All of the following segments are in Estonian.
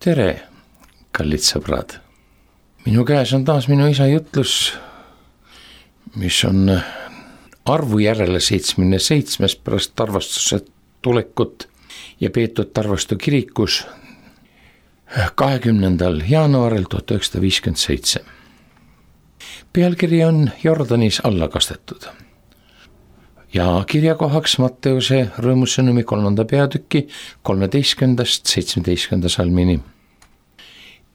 tere, kallid sõbrad. Minu käes on taas minu isa jutlus, mis on arvu järele 77 pärast Tarvastuse tulekut ja peetud Tarvastu kirikus 20. jaanuaril 1957. Pealkiri on Jordanis alla kastetud ja kirjakohaks Matteuse rõõmusõnumi 3. peatüki 13-17 salmini.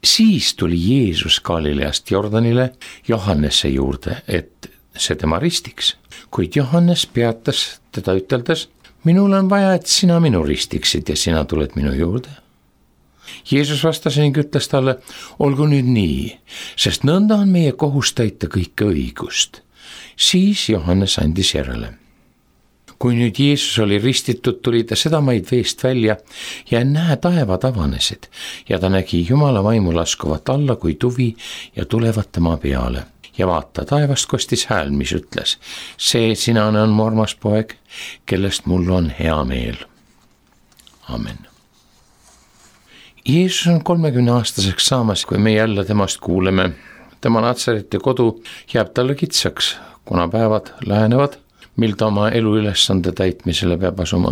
Siis tuli Jeesus Galileast Jordanile Johannese juurde, et see tema ristiks, kuid Johannes peatas teda üteldes: minul on vaja, et sina minu ristiksid ja sina tuled minu juurde. Jeesus vastas ning ütles talle: olgu nüüd nii, sest nõnda on meie kohus täita kõike õigust. Siis Johannes andis järele. Kui nüüd Jeesus oli ristitud, tuli ta sedamaid veest välja ja näe, taevad avanesid ja ta nägi Jumala vaimu laskuvat alla kui tuvi ja tulevat tema peale. Ja vaata, taevast kostis hääl, mis ütles: see sinane on mu armas poeg, kellest mul on hea meel. Amen. Jeesus on 30-aastaseks saamas, kui me jälle temast kuuleme. Tema Natsareti kodu jääb talle kitsaks, kuna päevad lähenevad, mil ta oma eluülesande täitmisele peab asuma.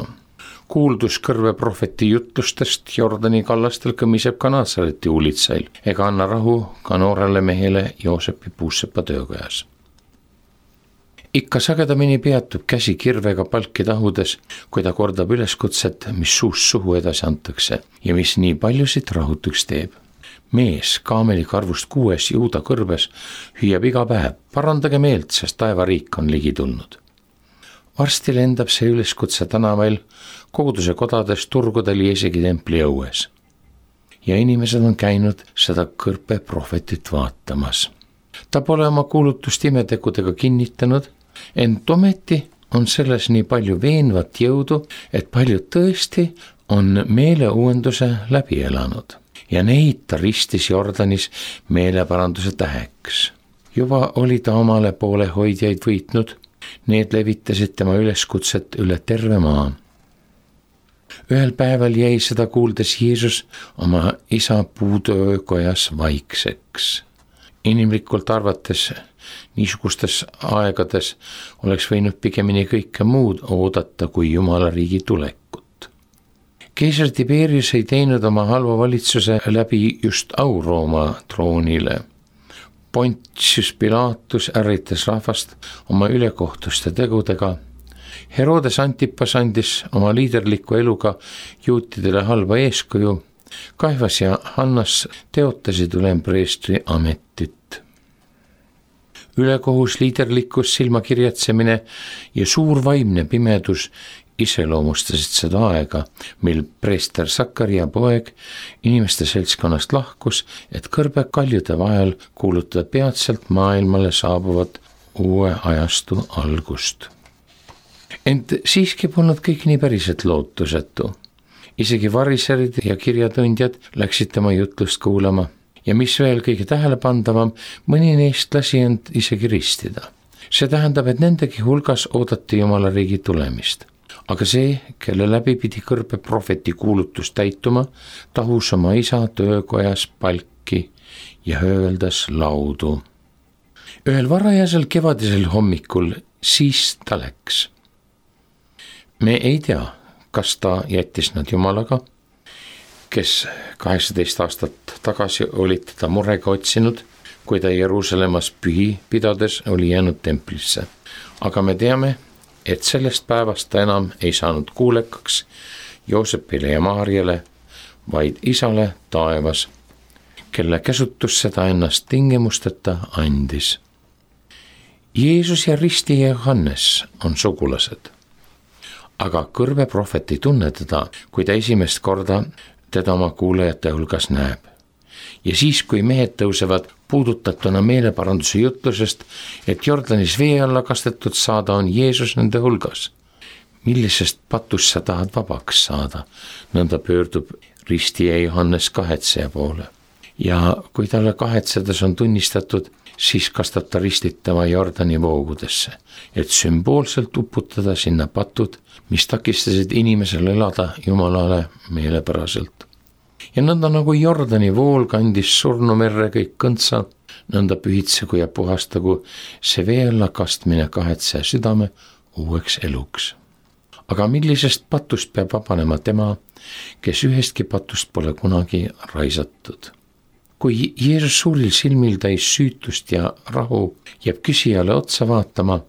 Kuuldus kõrve prohveti jutlustest Jordani kallastel kõmiseb ka Natsareti uulitsail ega anna rahu ka noorele mehele Joosepi puussepa töökojas. Ikka sagedamini peatub käsi kirvega palki tahudes, kui ta kordab üleskutset, mis suust suhu edasi antakse ja mis nii paljusid rahutuks teeb. Mees kaameli karvust 6 juuda kõrbes hüüab iga päev: parandage meelt, sest taevariik on ligi tulnud. Varsti lendab see üleskutse tänavail, koguduse kodades, turgudel ja isegi templi õues. Ja inimesed on käinud seda kõrpe prohvetit vaatamas. Ta pole oma kuulutust imetegudega kinnitanud, ent ometi on selles nii palju veenvat jõudu, et paljud tõesti on meeleuuenduse läbi elanud. Ja neid ta ristis Jordanis meeleparanduse täheks. Juba oli ta omale poolehoidjaid võitnud. Need levitasid tema üleskutset üle terve maa. Ühel päeval jäi seda kuuldes Jeesus oma isa puutöökojas vaikseks. Inimlikult arvates niisugustes aegades oleks võinud pigemini kõike muud oodata kui Jumala riigi tulekut. Keisar Tiberius ei teinud oma halva valitsuse läbi just au Rooma troonile. Pontius Pilatus ärritas rahvast oma ülekohtuste tegudega. Herodes Antipas andis oma liiderliku eluga juutidele halba eeskuju. Kaifas ja Hannas teotasid ülempreestri ametit. Ülekohus, liiderlikkus, silmakirjatsemine ja suur vaimne pimedus iseloomustasid seda aega, mil preester Sakaria poeg inimeste seltskonnast lahkus, et kõrbe kaljude vahel kuulutada peatselt maailmale saabuvat uue ajastu algust. Ent siiski polnud kõik nii päriselt lootusetu. Isegi variserid ja kirjatundjad läksid tema jutlust kuulama ja mis veel kõige tähelepandavam, mõni neist lasi end isegi ristida. See tähendab, et nendegi hulgas oodati Jumala riigi tulemist. Aga see, kelle läbi pidi kõrbe prohveti kuulutus täituma, tahus oma isa töökojas palki ja hööldas laudu. Ühel varajasel kevadisel hommikul siis ta läks. Me ei tea, kas ta jättis nad Jumalaga, kes 18 aastat tagasi olid teda murega otsinud, kui ta Jeruusalemmas pühi pidades oli jäänud templisse. Aga me teame, et sellest päevast ta enam ei saanud kuulekaks Joosepile ja Maarjale, vaid isale taevas, kelle käsutusse ta ennast tingimusteta andis. Jeesus ja ristija Johannes on sugulased, aga kõrve prohvet ei tunne teda, kui ta esimest korda teda oma kuulajate hulgas näeb. Ja siis, kui mehed tõusevad puudutatuna meeleparanduse jutlusest, et Jordanis vee alla kastetud saada, on Jeesus nende hulgas. Millisest patust sa tahad vabaks saada? Nõnda pöördub ristija Johannes kahetseja poole. Ja kui talle kahetsedes on tunnistatud, siis kastab ta ristitama Jordani voogudesse, et sümboolselt uputada sinna patud, mis takistasid inimesel elada Jumalale meelepäraselt. ja nõnda nagu Jordani vool kandis surnumerre kõik kõntsa, nõnda pühitsegu ja puhastagu see vee alla kastmine kahetseja südame uueks eluks. Aga millisest patust peab vabanema tema, kes ühestki patust pole kunagi raisatud? Kui Jeesus suuril silmil täis süütust ja rahu jääb küsijale otsa vaatama,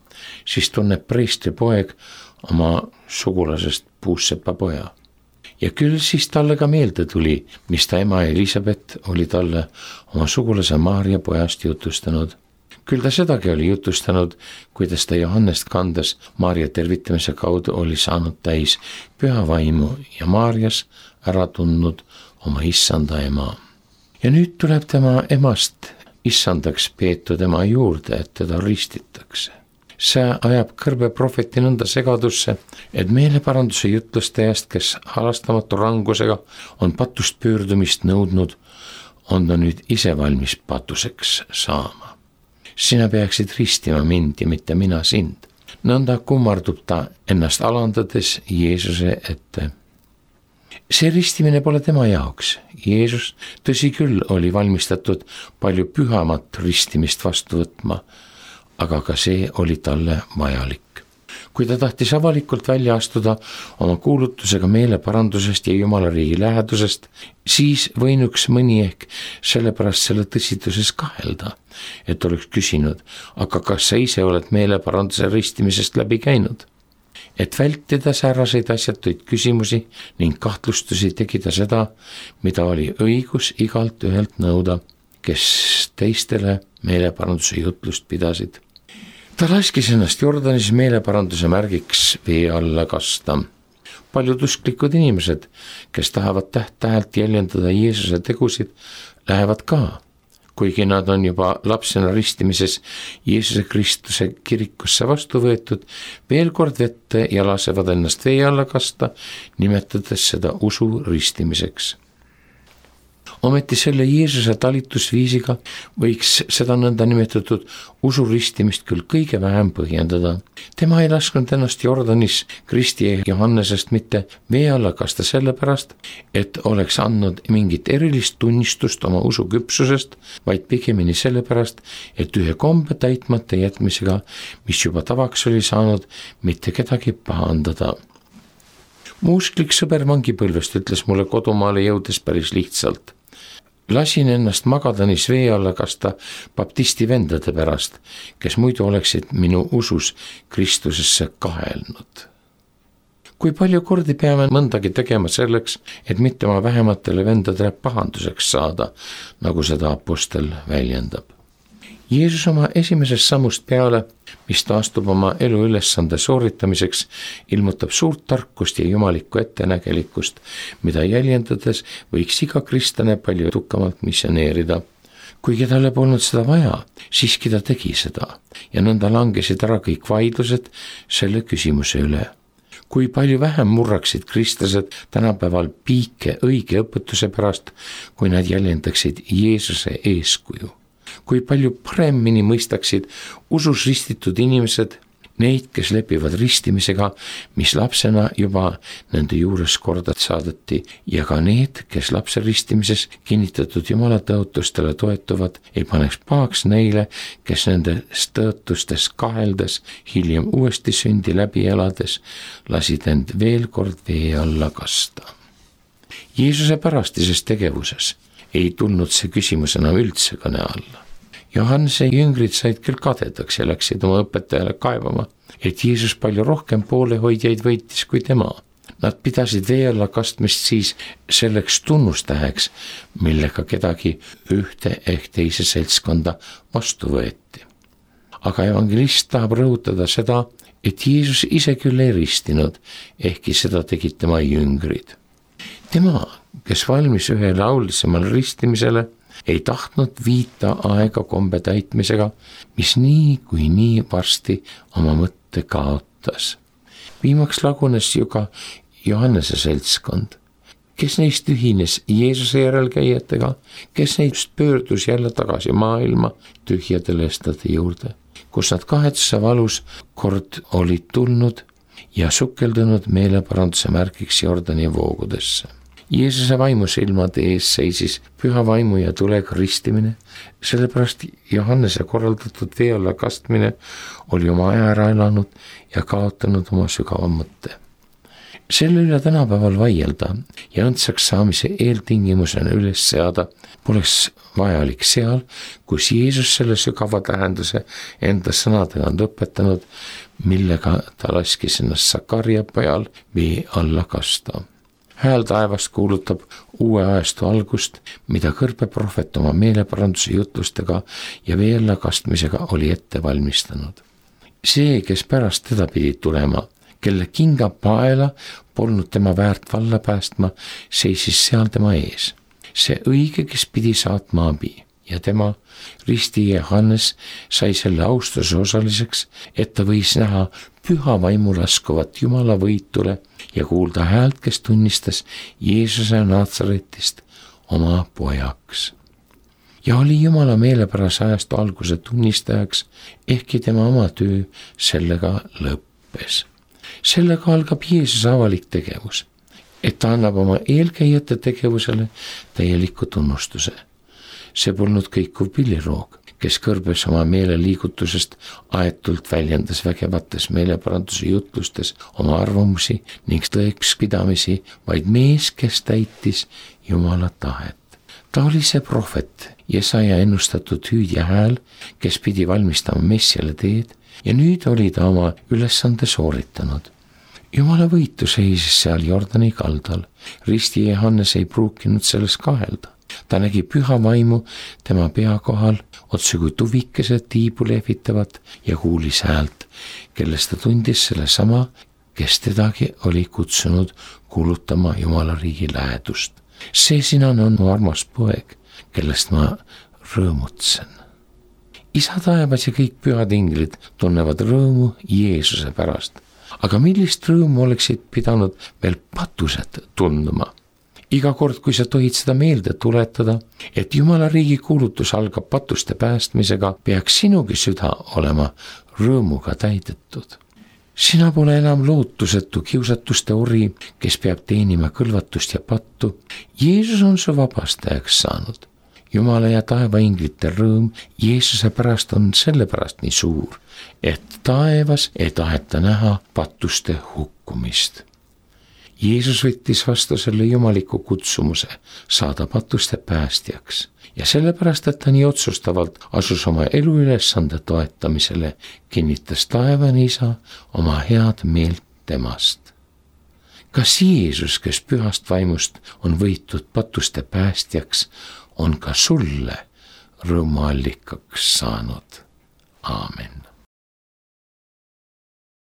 siis tunneb preestri poeg oma sugulasest puussepa poja. Ja küll siis talle ka meelde tuli, mis ta ema Elisabeth oli talle oma sugulase Maarja pojast jutustanud. Küll ta sedagi oli jutustanud, kuidas ta Johannest kandes Maarja tervitamise kaudu oli saanud täis püha vaimu ja Maarjas ära tundnud oma issanda ema. Ja nüüd tuleb tema emast issandaks peetud ema juurde, et teda ristitakse. See ajab kõrbe prohveti nõnda segadusse, et meeleparanduse jutlustajast, kes halastamatu rangusega on patust pöördumist nõudnud, on ta nüüd ise valmis patuseks saama. Sina peaksid ristima mind ja mitte mina sind. Nõnda kummardub ta ennast alandades Jeesuse ette. See ristimine pole tema jaoks. Jeesus, tõsi küll, oli valmistatud palju pühamat ristimist vastu võtma, aga ka see oli talle vajalik. Kui ta tahtis avalikult välja astuda oma kuulutusega meeleparandusest ja Jumala riigi lähedusest, siis võinuks mõni ehk sellepärast selle tõsituses kahelda, et oleks küsinud, aga kas sa ise oled meeleparanduse ristimisest läbi käinud? Et vältida säärased asjatuid küsimusi ning kahtlustusi tegi ta seda, mida oli õigus igalt ühelt nõuda, kes teistele meeleparanduse jutlust pidasid. Ta laskis ennast Jordanis meeleparanduse märgiks vee alla kasta. Paljud usklikud inimesed, kes tahavad täht-tähelt jäljendada Jeesuse tegusid, lähevad ka, kuigi nad on juba lapsena ristimises Jeesuse Kristuse kirikusse vastu võetud, veel kord vette ja lasevad ennast vee alla kasta, nimetades seda usu ristimiseks. Ometi selle Jeesuse talitusviisiga võiks seda nõnda nimetatud usuristimist küll kõige vähem põhjendada. Tema ei lasknud ennast Jordanis Kristi ja Johannesest mitte vee alla kasta sellepärast, et oleks andnud mingit erilist tunnistust oma usuküpsusest, vaid pigemini sellepärast, et ühe kombe täitmata jätmisega, mis juba tavaks oli saanud, mitte kedagi pahandada. Mu usklik sõber vangipõlvest ütles mulle kodumaale jõudes päris lihtsalt. Lasin ennast Magadanis vee alla kasta baptisti vendade pärast, kes muidu oleksid minu usus Kristusesse kahelnud. Kui palju kordi peame mõndagi tegema selleks, et mitte oma vähematele vendadele pahanduseks saada, nagu seda apostel väljendab. Jeesus oma esimesest sammust peale, mis ta astub oma elu ülesande sooritamiseks, ilmutab suurt tarkust ja jumalikku ettenägelikkust, mida jäljendades võiks iga kristlane palju edukamalt missioneerida. Kuigi talle polnud seda vaja, siiski ta tegi seda ja nõnda langesid ära kõik vaidlused selle küsimuse üle. Kui palju vähem murraksid kristlased tänapäeval piike õige õpetuse pärast, kui nad jäljendaksid Jeesuse eeskuju. Kui palju paremini mõistaksid usus ristitud inimesed neid, kes lepivad ristimisega, mis lapsena juba nende juures korda saadeti, ja ka need, kes lapse ristimises kinnitatud Jumala tõotustele toetuvad, ei paneks pahaks neile, kes nendes tõotustes kaheldes, hiljem uuesti sündi läbi elades, lasid end veel kord vee alla kasta. Jeesuse pärastises tegevuses ei tulnud see küsimus enam üldse kõne alla. Johannese jüngrid said küll kadedaks ja läksid oma õpetajale kaevama, et Jeesus palju rohkem poolehoidjaid võitis kui tema. Nad pidasid vee alla kastmist siis selleks tunnustäheks, millega kedagi ühte ehk teise seltskonda vastu võeti. Aga evangelist tahab rõhutada seda, et Jeesus ise küll ei ristinud, ehkki seda tegid tema jüngrid. Tema, kes valmis ühele aulisemale ristimisele, ei tahtnud viita aega kombe täitmisega, mis nii kui nii varsti oma mõtte kaotas. Viimaks lagunes ju ka Johannese seltskond, kes neist ühines Jeesuse järelkäijatega, kes neist pöördus jälle tagasi maailma tühjade lestade juurde, kus nad kahetsuse valus kord olid tulnud ja sukeldunud meeleparanduse märgiks Jordani voogudesse. Jeesuse vaimu silmade ees seisis püha vaimu ja tulega ristimine, sellepärast Johannese korraldatud vee alla kastmine oli oma aja ära elanud ja kaotanud oma sügava mõtte. Selle üle tänapäeval vaielda ja õndsaks saamise eeltingimusena üles seada poleks vajalik seal, kus Jeesus selle sügava tähenduse enda sõnadega on õpetanud, millega ta laskis ennast Sakarja pojal vee alla kasta. Hääl taevast kuulutab uue ajastu algust, mida kõrbeprohvet oma meeleparanduse jutlustega ja vee alla kastmisega oli ette valmistanud. See, kes pärast teda pidi tulema, kelle kinga paela polnud tema väärt valla päästma, seisis seal tema ees. See õige, kes pidi saatma abi ja tema, risti Johannes, sai selle austuse osaliseks, et ta võis näha püha vaimu laskuvat Jumala võitule ja kuulda häält, kes tunnistas Jeesuse Naatsaretist oma pojaks. Ja oli Jumala meelepärase ajastu alguse tunnistajaks, ehkki tema oma töö sellega lõppes. Sellega algab Jeesuse avalik tegevus, et ta annab oma eelkäijate tegevusele täieliku tunnustuse. See polnud kõikuv pilliroog, kes kõrbes oma meeleliigutusest aetult väljendas vägevates meeleparanduse jutlustes oma arvamusi ning tõekspidamisi, vaid mees, kes täitis Jumala tahet. Ta oli see prohvet, Jesaja ennustatud hüüdja hääl, kes pidi valmistama Messiale teed ja nüüd oli ta oma ülesande sooritanud. Jumala võitu seisis seal Jordani kaldal, risti Johannes ei pruukinud selles kahelda. Ta nägi püha vaimu tema pea kohal, otse kui tuvikesed tiibu lehvitavat ja kuulis häält, kellest ta tundis selle sama, kes tedagi oli kutsunud kuulutama Jumala riigi lähedust. See sinane on mu armas poeg, kellest ma rõõmutsen. Isa taevas ja kõik pühad inglid tunnevad rõõmu Jeesuse pärast, aga millist rõõmu oleksid pidanud veel patused tundma? Iga kord, kui sa tohid seda meelde tuletada, et Jumala riigi kuulutus algab patuste päästmisega, peaks sinugi süda olema rõõmuga täidetud. Sina pole enam lootusetu kiusatuste ori, kes peab teenima kõlvatust ja pattu. Jeesus on su vabastajaks saanud. Jumala ja taeva inglite rõõm Jeesuse pärast on sellepärast nii suur, et taevas ei taheta näha patuste hukkumist. Jeesus võttis vastu selle jumaliku kutsumuse saada patuste päästjaks ja sellepärast, et ta nii otsustavalt asus oma eluülesande toetamisele, kinnitas taevane Isa oma head meelt temast. Kas Jeesus, kes pühast vaimust on võitud patuste päästjaks, on ka sulle rõõmuallikaks saanud? Aamen.